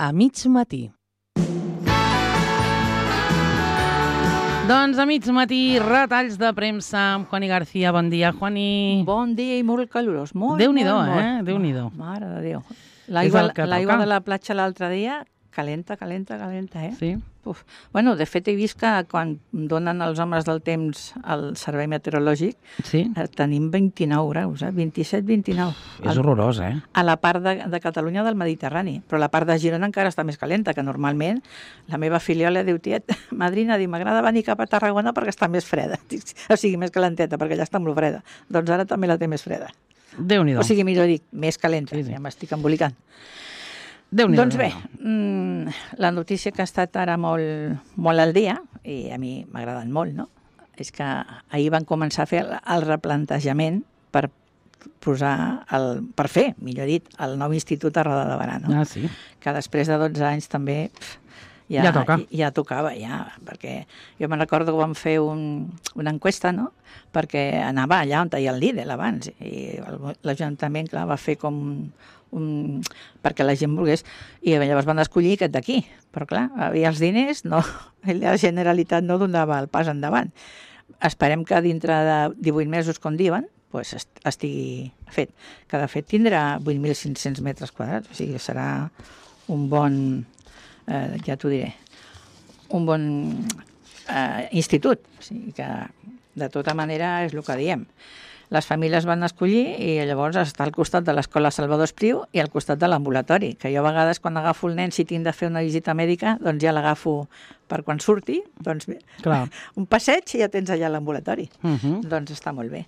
a mig matí. Doncs a mig matí, retalls de premsa amb Juani García. Bon dia, Juani. Bon dia i molt calorós. Déu-n'hi-do, Déu-n'hi-do. Mare de Déu. L'aigua de la platja l'altre dia, calenta, eh? Sí. Uf. Bueno, de fet, he vist que quan donen els homes del temps al servei meteorològic, tenim 29 graus, 27-29. És horrorós, A la part de Catalunya del Mediterrani, però la part de Girona encara està més calenta, que normalment la meva filiola diu, tiet, madrina, m'agrada venir cap a Tarragona perquè està més freda, o sigui, més calenteta, perquè allà està molt freda. Doncs ara també la té més freda. Déu-n'hi-do. O sigui, millor dic, més calenta, ja m'estic embolicant. Doncs bé, la notícia que ha estat ara molt al dia, i a mi m'agraden molt, no? És que ahir van començar a fer el replantejament per fer, millor dit, el nou institut a Roda de Barà, no? Ah, sí. Que després de 12 anys també ja tocava, perquè jo me'n recordo que vam fer una enquesta, no?, perquè anava allà on hi ha el Lidl abans, i l'Ajuntament, clar, va fer com perquè la gent volgués, i llavors van escollir aquest d'aquí, però clar, havia els diners, no, la Generalitat no donava el pas endavant. Esperem que dintre de 18 mesos, com diuen, pues estigui fet, que de fet tindrà 8.500 metres quadrats, o sigui, serà un bon, ja t'ho diré, un bon institut, o sigui que de tota manera és el que diem. Les famílies van escollir i llavors està al costat de l'escola Salvador Espriu i al costat de l'ambulatori, que jo a vegades quan agafo el nen, si tinc de fer una visita mèdica, doncs ja l'agafo per quan surti, doncs un passeig i ja tens allà l'ambulatori. Doncs està molt bé.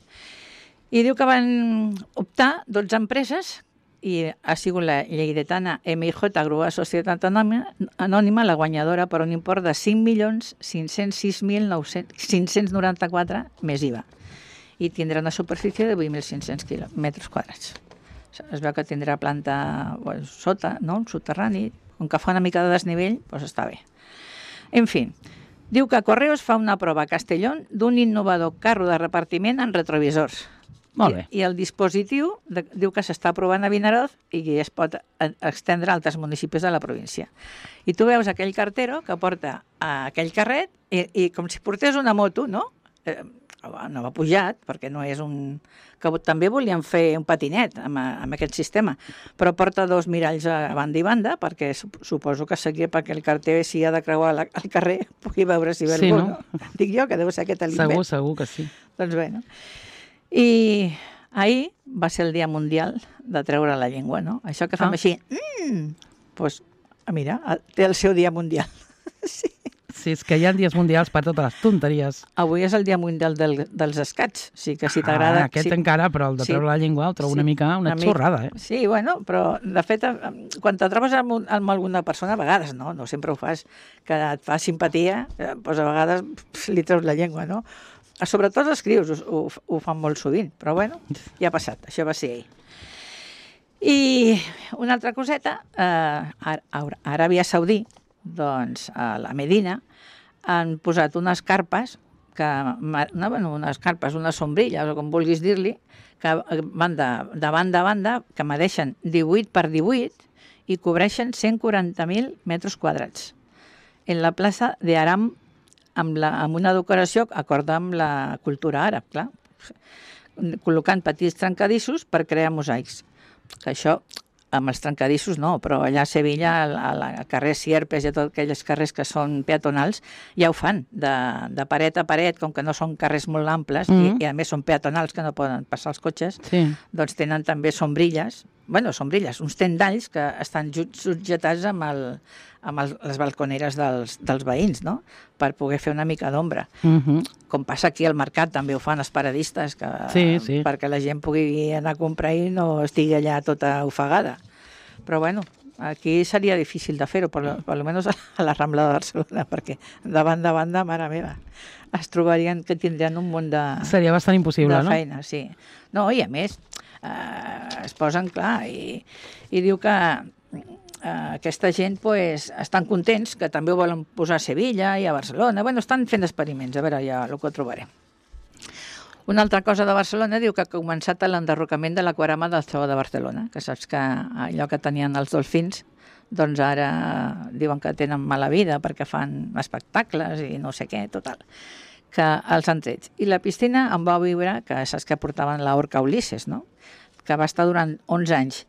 I diu que van optar 12 empreses i ha sigut la lleidatana MIJ Grua Societat Anònima la guanyadora per un import de 5.506.594 més IVA. I tindrà una superfície de 8.500 metres quadrats. Es veu que tindrà planta sota, no?, un soterrani, com que fa una mica de desnivell, doncs està bé. En fi, diu que Correos fa una prova a Castellón d'un innovador carro de repartiment en retrovisors. Molt bé. I el dispositiu diu que s'està provant a Vinaroz i es pot estendre a altres municipis de la província. I tu veus aquell cartero que porta aquell carret i com si portés una moto, no?, no va pujat, perquè no és un... que també volien fer un patinet amb aquest sistema, però porta 2 miralls a banda i banda, perquè suposo que seria perquè el carter, si ha de creuar el carrer, pugui veure si ve algú, no? Dic jo, que deu ser aquest l'invent. Segur que sí. Doncs bé, no? I ahir va ser el Dia Mundial de treure la llengua, no? Això que fem així, doncs, mira, té el seu Dia Mundial. Sí. Sí, és que hi ha dies mundials per totes les tonteries. Avui és el Dia Mundial dels escats. O sigui que si t'agrada... Aquest encara, però el de treure la llengua el trobo una mica una xorrada, Sí, bueno, però de fet, quan te trobes amb alguna persona, a vegades, no sempre ho fas, que et fa simpatia, doncs a vegades li treus la llengua, no? Sobretot els crios ho fan molt sovint, però bueno, ja ha passat, això va ser ahir. I una altra coseta, a Aràbia Saudí, doncs a la Medina, han posat unes carpes, unes sombrilles, o com vulguis dir-li, que van de banda a banda, que medeixen 18 per 18 i cobreixen 140.000 metres quadrats. En la plaça d'Aram, amb una decoració acord amb la cultura àrab, clar, col·locant petits trencadissos per crear mosaics. Que això... amb els trencadissos no, però allà a Sevilla, al carrer Sierpes i a tots aquells carrers que són peatonals, ja ho fan, de paret a paret, com que no són carrers molt amples, i a més són peatonals que no poden passar els cotxes, doncs tenen també sombrilles, uns tendalls que estan subjetats amb les balconeres dels veïns, no?, per poder fer una mica d'ombra. Com passa aquí al mercat, també ho fan els paradistes, perquè la gent pugui anar a comprar i no estigui allà tota ofegada. Però bueno, aquí seria difícil de fer-ho, per almenys a la Rambla de Barcelona, perquè de banda a banda, mare meva, es trobarien que tindrien un munt de... Seria bastant impossible, no? De feina, sí. No, i a més, es posen, clar, i diu que aquesta gent estan contents, que també ho volen posar a Sevilla i a Barcelona. Bueno, estan fent experiments, a veure ja el que trobarem. Una altra cosa de Barcelona diu que ha començat l'enderrocament de l'aquarama del Zoo de Barcelona, que saps que allò que tenien els dolfins, doncs ara diuen que tenen mala vida perquè fan espectacles i no sé què, total, que els han tret. I la piscina em va viure, que saps que portaven l'orca Ulisses, no? Que va estar durant 11 anys.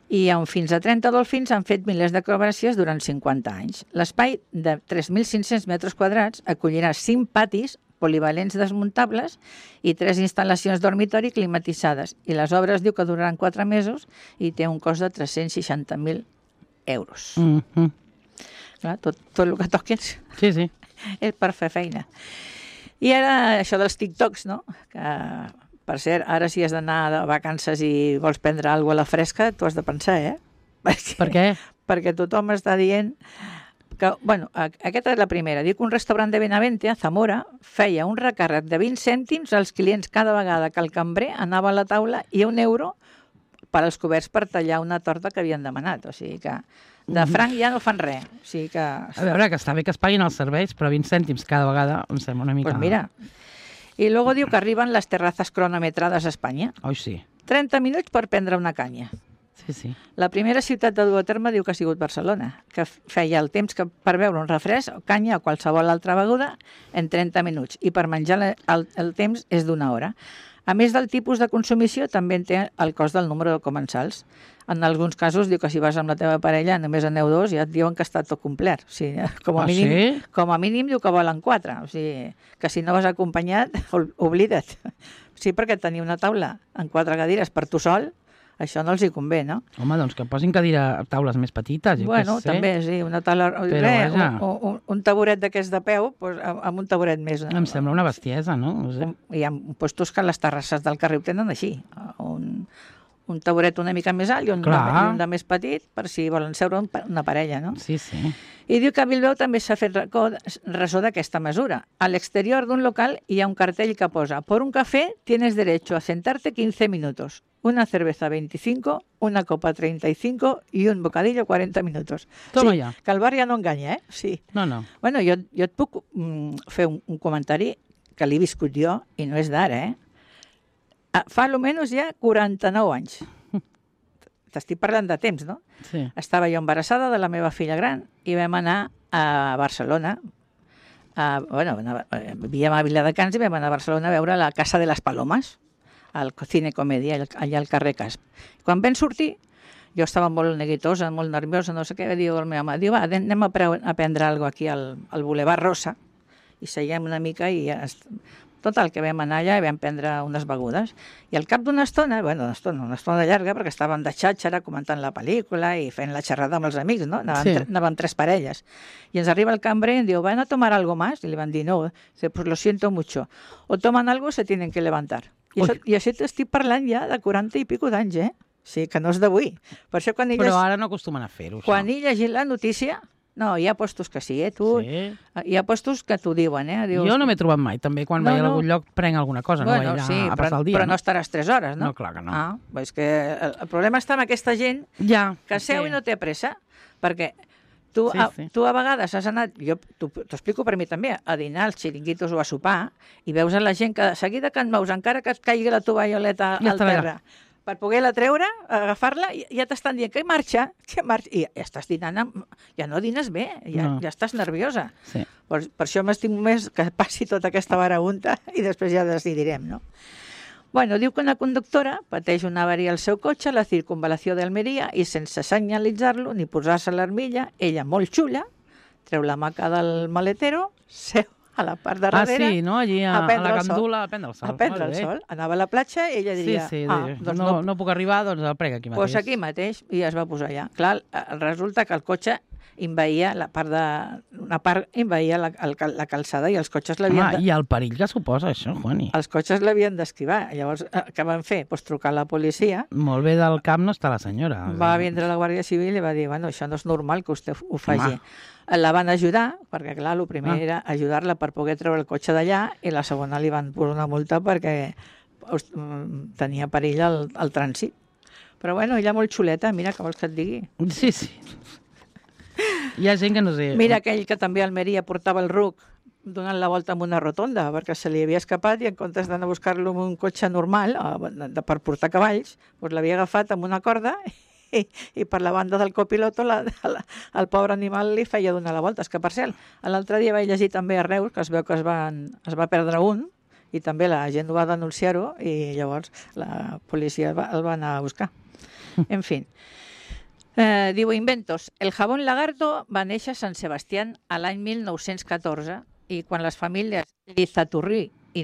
I amb fins a 30 dolfins han fet milers d'acrobàcies durant 50 anys. L'espai de 3.500 metres quadrats acollirà 5 patis polivalents desmuntables i 3 instal·lacions dormitori climatitzades. I les obres diu que duraran 4 mesos i té un cost de 360.000 euros. Clar, tot el que toquis Sí. és per fer feina. I ara això dels TikToks, no? Que, per cert, ara si has d'anar de vacances i vols prendre alguna cosa a la fresca, t'ho has de pensar, eh? Per què? Perquè tothom està dient que, bueno, aquesta és la primera. Diu que un restaurant de Benavente, a Zamora, feia un recàrrec de 20 cèntims als clients cada vegada que el cambrer anava a la taula i €1 per als coberts per tallar una torta que havien demanat. O sigui que de franc ja no fan res. O sigui que... A veure, que està bé que es paguin els serveis, però 20 cèntims cada vegada em sembla una mica... Pues mira. I luego diu que arriben les terrazas cronometrades a Espanya. Oi, sí. 30 minuts per prendre una canya. Sí. La primera ciutat de dur a terme diu que ha sigut Barcelona, que feia el temps que per beure un refresc, o canya o qualsevol altra beguda en 30 minuts. I per menjar el temps és d'1 hora. A més del tipus de consumició, també té el cost del número de comensals. En alguns casos diu que si vas amb la teva parella només aneu 2 i ja et diuen que està tot complert. O sigui, com a mínim diu que volen 4. O sigui, que si no vas acompanyat, oblida't. Sí, perquè tenir una taula en 4 cadires per tu sol, això no els hi convé, no? Home, doncs que posin taules més petites, bueno, també, sí, una taula... un taburet d'aquests de peu, doncs, amb un taburet més... Em sembla una bestiesa, no? No sé. Hi ha puestos que les terrasses del carrer ho tenen així. Un taburet una mica més alt i un de més petit, per si volen seure una parella, no? Sí. I diu que a Bilbao també s'ha fet ressò d'aquesta mesura. A l'exterior d'un local hi ha un cartell que posa «Por un café tienes derecho a sentarte 15 minutos, una cerveza 25, una copa 35 i un bocadillo 40 minutos». Toma sí, ja. Que el bar ja no enganya, eh? Sí. No. Bueno, jo et puc fer un comentari que l'he viscut jo i no és d'ara, eh? Fa almenys ja 49 anys. T'estic parlant de temps, no? Sí. Estava jo embarassada de la meva filla gran i vam anar a Barcelona. Vivíem a Viladecans i vam anar a Barcelona a veure la Casa de les Palomes, al Cine Comèdia, allà al carrer Casp. Quan vam sortir, jo estava molt neguitosa, molt nerviosa, no sé què, diu el meu home, diu, va, anem a prendre alguna cosa aquí al Boulevard Rosa, i seiem una mica i ja... Total, que vam anar allà i vam prendre unes begudes. I al cap d'una estona, una estona llarga, perquè estàvem de xàxera comentant la pel·lícula i fent la xerrada amb els amics, no? Anàvem 3 parelles. I ens arriba el cambrer i em diu, ¿van a tomar algo más? I li van dir, no. Dice, pues lo siento mucho. O toman algo o se tienen que levantar. I això t'estic parlant ja de 40 i pico d'anys, eh? Sí, que no és d'avui. Per això quan Però ara no acostumen a fer-ho, això. Quan he llegit la notícia... No, hi ha postos que sí, tu... Sí. Hi ha postos que t'ho diuen, Dius... Jo no m'he trobat mai, també quan vaig a algun lloc prenc alguna cosa, no vaig a passar el dia. Però no estaràs 3 hores, no? No, clar que no. És que el problema està amb aquesta gent que seu i no té pressa, perquè tu a vegades has anat, jo t'ho explico per mi també, a dinar als xiringuitos o a sopar, i veus a la gent que de seguida que et mous, encara que et caigui la tovalloleta al terra, per poder-la treure, agafar-la, ja t'estan dient que marxa, i ja estàs dinant, ja no dines bé, ja estàs nerviosa. Sí. Per això m'estimo més que passi tota aquesta varagunta i després ja decidirem, no? Bueno, diu que una conductora pateix una avaria al seu cotxe a la circunvalació d'Almeria i sense senyalitzar-lo ni posar-se l'armilla, ella molt xula, treu la maca del maletero, seu a la part de darrere, sí, no? Allí a la gandula, a prendre el sol. A prendre el sol. Anava a la platja i ella diria... Doncs no puc arribar, doncs el prega aquí mateix. Doncs aquí mateix, i es va posar allà. Clar, resulta que el cotxe envaïa la calçada i els cotxes l'havien... I el perill que suposa això, Juani. Els cotxes l'havien d'esquivar. Llavors, què van fer? Pues trucar a la policia. Molt bé del cap no està la senyora. Va vindre la Guàrdia Civil i va dir, bueno, això no és normal que vostè ho faci. La van ajudar, perquè clar, el primer era ajudar-la per poder treure el cotxe d'allà i la segona li van posar una multa perquè tenia perill al trànsit. Però bueno, ella molt xuleta, mira, què vols que et digui? Sí. Hi ha gent que no sé... Mira aquell que també a Almeria portava el ruc donant la volta amb una rotonda perquè se li havia escapat i en comptes d'anar a buscar-lo amb un cotxe normal per portar cavalls, doncs l'havia agafat amb una corda i per la banda del copiloto el pobre animal li feia donar la volta. És que, per cert, l'altre dia vaig llegir també a Reus que es veu que es va perdre un i també la gent va denunciar-ho i llavors la policia el va anar a buscar. En fin. Diu, inventos. El jabón lagarto va néixer a Sant Sebastián a l'any 1914 i quan les famílies Lizaturri i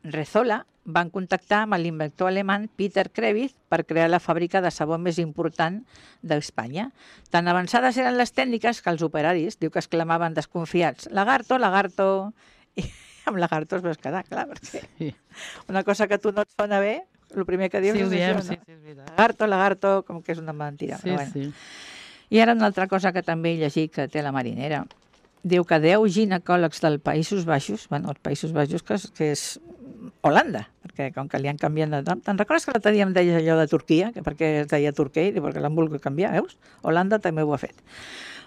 Rezola van contactar amb l'inventor alemany Peter Krebs per crear la fàbrica de sabó més important d'Espanya. Tan avançades eren les tècniques que els operaris, diu que exclamaven desconfiats, lagarto, lagarto, i amb lagarto es vas quedar, clar, perquè una cosa que a tu no et sona bé, el primer que dius és això, no? Sí, és veritat. Lagarto, lagarto, com que és una mentira. Sí, però bueno. sí. I ara una altra cosa que també he llegit que té la Marinera. Diu que 10 ginecòlegs dels Països Baixos, bueno, els Països Baixos que és Holanda, perquè com que li han canviat de nom. Te'n recordes que l'altre dia em deies allò de Turquia, que perquè es deia Turquia i perquè l'han volgut canviar, veus? Holanda també ho ha fet.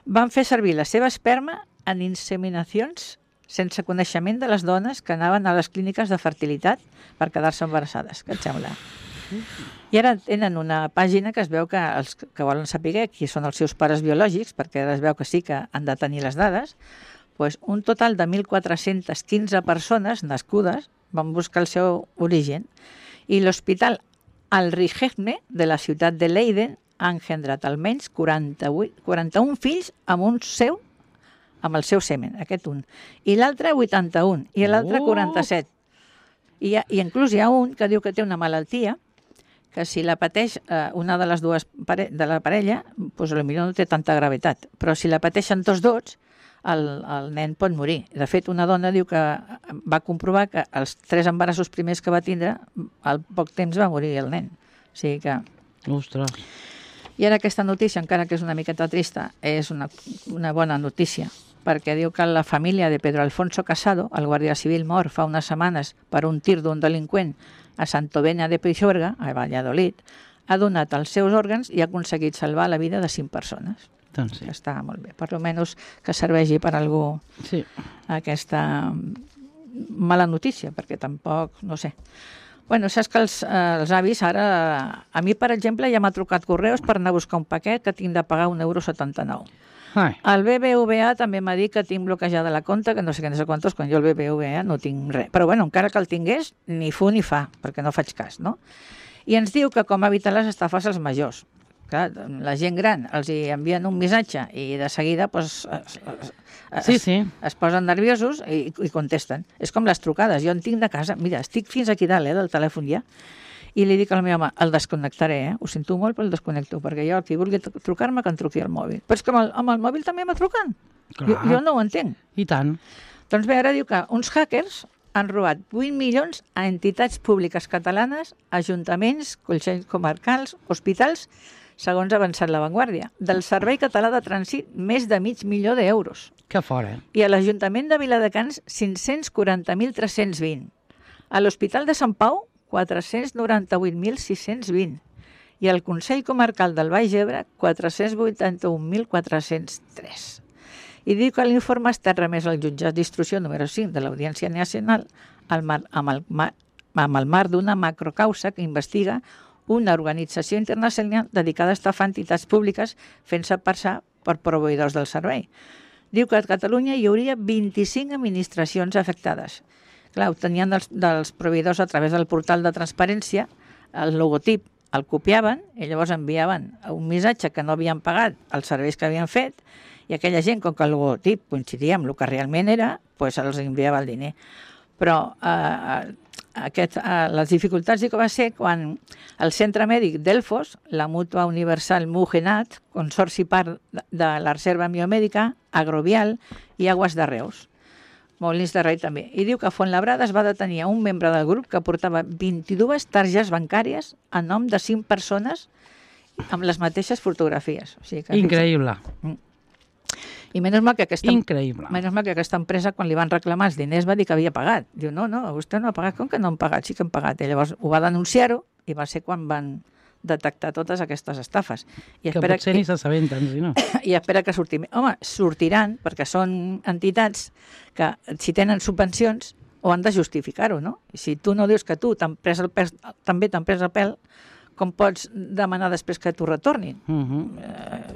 Van fer servir la seva esperma en inseminacions sense coneixement de les dones que anaven a les clíniques de fertilitat per quedar-se embarassades. Què et sembla? I ara tenen una pàgina que es veu que els que volen saber qui són els seus pares biològics, perquè ara es veu que sí que han de tenir les dades, doncs un total de 1.415 persones nascudes van buscar el seu origen i l'Hospital Al-Rijegne de la ciutat de Leiden ha engendrat almenys 41 fills amb el seu semen, aquest un. I l'altre 81, i l'altre 47. I inclús hi ha un que diu que té una malaltia que si la pateix una de les dues de la parella, doncs potser no té tanta gravetat, però si la pateixen tots dos, el nen pot morir. De fet, una dona diu que va comprovar que els 3 embarassos primers que va tindre, al poc temps va morir el nen. O sigui que... Ostres. I ara aquesta notícia, encara que és una miqueta trista, és una bona notícia, perquè diu que la família de Pedro Alfonso Casado, el guàrdia civil mort fa unes setmanes per un tir d'un delinqüent a Santovenia de Peixorga, a Valladolid, ha donat els seus òrgans i ha aconseguit salvar la vida de 5 persones. Doncs sí. Està molt bé. Per almenys que serveixi per algú Sí. aquesta mala notícia, perquè tampoc, no sé. Bueno, saps que els avis ara... A mi, per exemple, ja m'ha trucat Correus per anar a buscar un paquet que tinc de pagar €1,79. Ai. El BBVA també m'ha dit que tinc bloquejada la compte, que no sé què, no sé quantos, quan jo el BBVA no tinc res. Però bueno, encara que el tingués, ni fu ni fa, perquè no faig cas, no? I ens diu que com evitar les estafes als majors. Clar, la gent gran els hi envien un missatge i de seguida pues, es posen nerviosos i contesten. És com les trucades. Jo en tinc de casa, mira, estic fins aquí dalt del telèfon ja, i li dic al meu home, el desconnectaré, ho sento molt, però el desconnecto, perquè jo, el que vulgui trucar-me, que em truqui al mòbil. Però és que amb el mòbil també me truquen. Jo no ho entenc. I tant. Doncs bé, ara diu que uns hackers han robat 8 milions a entitats públiques catalanes, ajuntaments, consells comarcals, hospitals, segons ha avançat La Vanguardia. Del Servei Català de Trànsit, més de $500,000. Que fora. I a l'Ajuntament de Viladecans, 540.320. A l'Hospital de Sant Pau, 498.620. I al Consell Comarcal del Baix Ebre, 481.403. I diu que l'informe ha estat remès al jutjat d'instrucció número 5 de l'Audiència Nacional amb el marc d'una macrocausa que investiga una organització internacional dedicada a estafar entitats públiques fent-se passar per proveïdors del servei. Diu que a Catalunya hi hauria 25 administracions afectades. Clar, obtenien dels proveïdors a través del portal de transparència el logotip, el copiaven i llavors enviaven un missatge que no havien pagat els serveis que havien fet i aquella gent, com que el logotip coincidia amb el que realment era, doncs els enviava el diner. Però les dificultats sí que va ser quan el centre mèdic Delfos, la Mútua Universal Mugenat, consorci part de la Reserva Biomèdica, Agrovial i Aguas de Reus. Molins de Rei també. I diu que Fuenlabrada es va detenir un membre del grup que portava 22 targetes bancàries a nom de 5 persones amb les mateixes fotografies. O sigui que, increïble. I menys mal que aquesta empresa, quan li van reclamar els diners, va dir que havia pagat. Diu, no, vostè no ha pagat. Com que no han pagat? Sí que han pagat. I llavors ho va denunciar-ho i va ser quan van detectar totes aquestes estafes. I que potser ni s'assabenten, si no. I espera que surtin. Home, sortiran, perquè són entitats que, si tenen subvencions, ho han de justificar-ho, no? I si tu no dius que tu també t'han pres el pèl, com pots demanar després que t'ho retornin?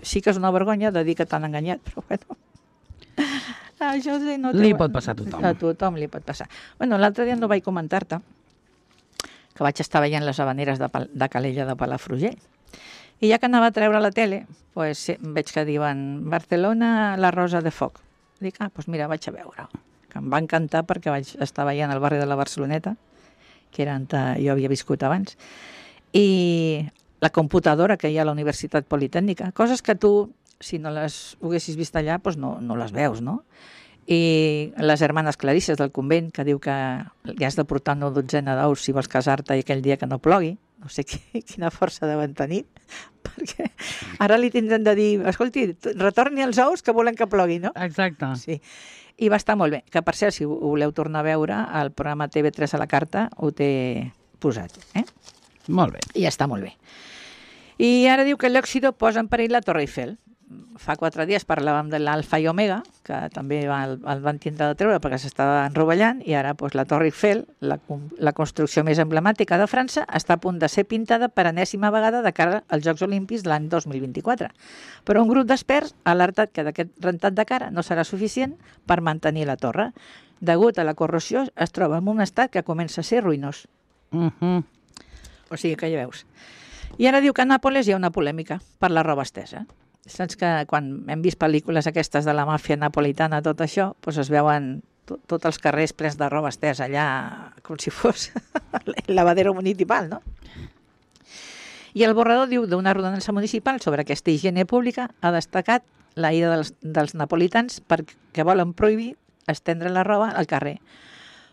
Sí que és una vergonya de dir que t'han enganyat, però bueno... Això no li pot passar a tothom. A tothom li pot passar. Bueno, l'altre dia no vaig comentar-te que vaig estar veient les habaneres de Calella de Palafrugell. I ja que anava a treure la tele, pues, veig que diuen Barcelona, la Rosa de Foc. Dic, doncs mira, vaig a veure. Que em va encantar perquè vaig estar veient el barri de la Barceloneta, que era on jo havia viscut abans, i la computadora que hi ha a la Universitat Politècnica, coses que tu, si no les haguessis vist allà, doncs no les veus, no? I les germanes Clarisses del convent, que diu que li has de portar una dotzena d'ous si vols casar-te aquell dia que no plogui. No sé quina força deuen tenir, perquè ara li tindran de dir, escolti, retorni els ous que volen que plogui, no? Exacte. Sí. I va estar molt bé. Que, per cert, si ho voleu tornar a veure, el programa TV3 a la carta ho té posat. Molt bé. I està molt bé. I ara diu que l'òxido posa en perill la Torre Eiffel. Fa 4 dies parlàvem de l'Alfa i Omega, que també el van tindre de treure perquè s'estava enrovellant, i ara doncs, la Torre Eiffel, la construcció més emblemàtica de França, està a punt de ser pintada per enèsima vegada de cara als Jocs Olímpics l'any 2024. Però un grup d'experts ha alertat que d'aquest rentat de cara no serà suficient per mantenir la torre. Degut a la corrosió, es troba en un estat que comença a ser ruïnós. O sigui que ja veus. I ara diu que a Nàpoles hi ha una polèmica per la roba estesa. Saps que quan hem vist pel·lícules aquestes de la màfia napolitana, tot això, doncs es veuen tots els carrers plens de roba estesa allà, com si fos el lavadero municipal, no? I el borrador diu d'una ordenança municipal sobre aquesta higiene pública ha destacat la ira dels napolitans perquè volen prohibir estendre la roba al carrer,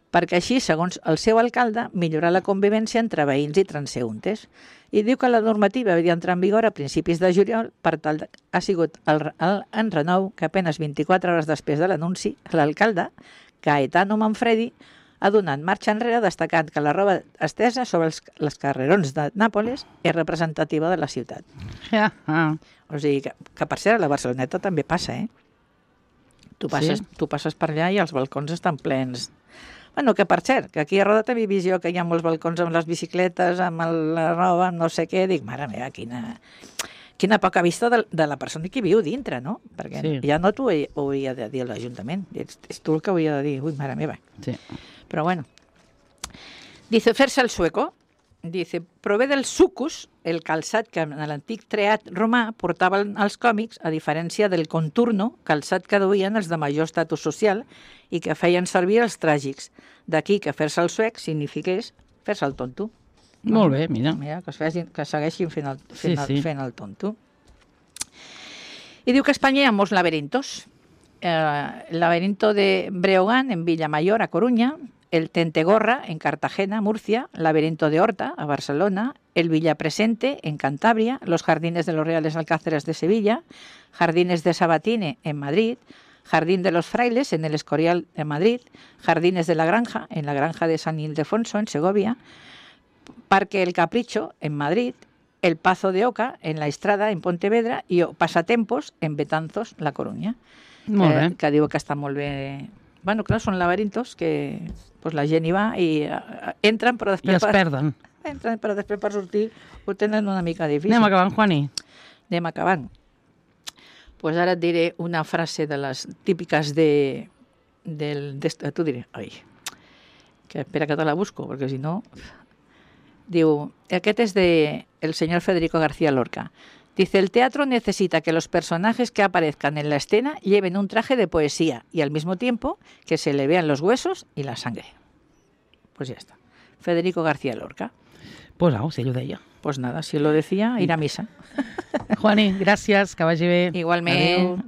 perquè així, segons el seu alcalde, millorar la convivència entre veïns i transeúntes. I diu que la normativa havia d'entrar en vigor a principis de juliol, per tal ha sigut el enrenou que apenas 24 hores després de l'anunci, l'alcalde, Gaetano Manfredi, ha donat marxa enrere destacant que la roba estesa sobre els carrerons de Nàpoles és representativa de la ciutat. O sigui que per cert, a la Barceloneta també passa, Tu passes per allà i els balcons estan plens. Bueno, que per cert, que aquí a Roda també visió que hi ha molts balcons amb les bicicletes, amb la roba, amb no sé què. Dic, mare meva, quina poca vista de la persona que viu dintre, no? Perquè ja no t'ho hauria de dir l'Ajuntament. És tu el que hauria de dir. Ui, mare meva. Sí. Però bueno. Dice, fer-se el sueco. Dice, prové del sucus, el calçat que en l'antic treat romà portaven els còmics, a diferència del conturno, calçat que duien els de major estatus social i que feien servir els tràgics. D'aquí que fer-se el suec signifiqués fer-se el tonto. Molt bé, mira. Mira, que segueixin fent el tonto. I diu que a Espanya hi ha molts laberintos. El laberinto de Breogán, en Villamayor, a Coruña, el Tentegorra, en Cartagena, Murcia, Laberinto de Horta, a Barcelona, el Villapresente, en Cantabria, los Jardines de los Reales Alcázares de Sevilla, Jardines de Sabatine, en Madrid, Jardín de los Frailes, en el Escorial de Madrid, Jardines de la Granja, en la Granja de San Ildefonso, en Segovia, Parque El Capricho, en Madrid, el Pazo de Oca, en la Estrada, en Pontevedra, i Pasatempos, en Betanzos, la Coruña. Molt bé. Que diu que està molt bé. Bueno, clar, són laberintos que pues, la gent hi va i entren, però després... I es perden. Entren, però després per sortir ho tenen una mica difícil. Anem acabant, Juani. Anem acabant. Pues ara et diré una frase de les típiques t'ho diré. Ai, que espera que te la busco, perquè si no... Diu, aquest és del señor Federico García Lorca. Dice, el teatro necesita que los personajes que aparezcan en la escena lleven un traje de poesía y al mismo tiempo que se le vean los huesos y la sangre. Pues ya está. Federico García Lorca. Pues au, si ell ho deia. Pues nada, si lo decía, ir a misa. Juani, gràcies, que vagi bé. Igualment. Adéu.